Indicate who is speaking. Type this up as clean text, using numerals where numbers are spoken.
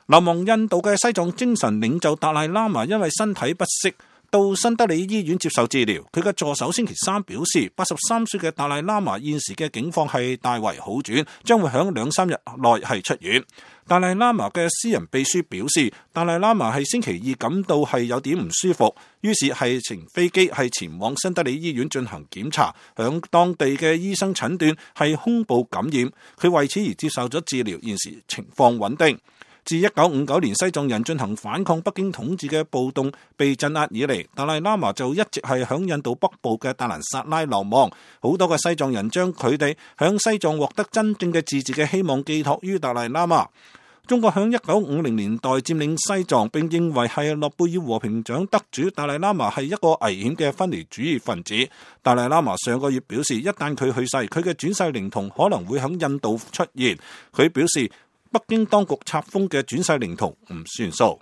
Speaker 1: 流亡印度嘅西藏精神領袖達賴喇嘛因為身體不適到新德里醫院接受治療。佢嘅助手星期三表示，83歲嘅達賴喇嘛現時嘅境況係大為好轉，將會喺2-3日內係出院。達賴喇嘛嘅私人秘書表示，達賴喇嘛係星期二感到係有點唔舒服，於是係乘飛機係前往新德里醫院進行檢查，響當地嘅醫生診斷係胸部感染，佢為此而接受咗治療，現時情況穩定。自1959年西藏人進行反抗北京統治嘅暴動被鎮壓以嚟，達賴喇嘛就一直係響印度北部嘅達蘭薩拉流亡。好多嘅西藏人將佢哋響西藏獲得真正嘅自治嘅希望寄託於達賴喇嘛。中國響1950年代佔領西藏，並認為係諾貝爾和平獎得主達賴喇嘛係一個危險嘅分離主義分子。達賴喇嘛上個月表示，一旦佢去世，佢嘅轉世靈童可能會響印度出現。佢表示，北京當局冊封嘅轉世靈童唔算數。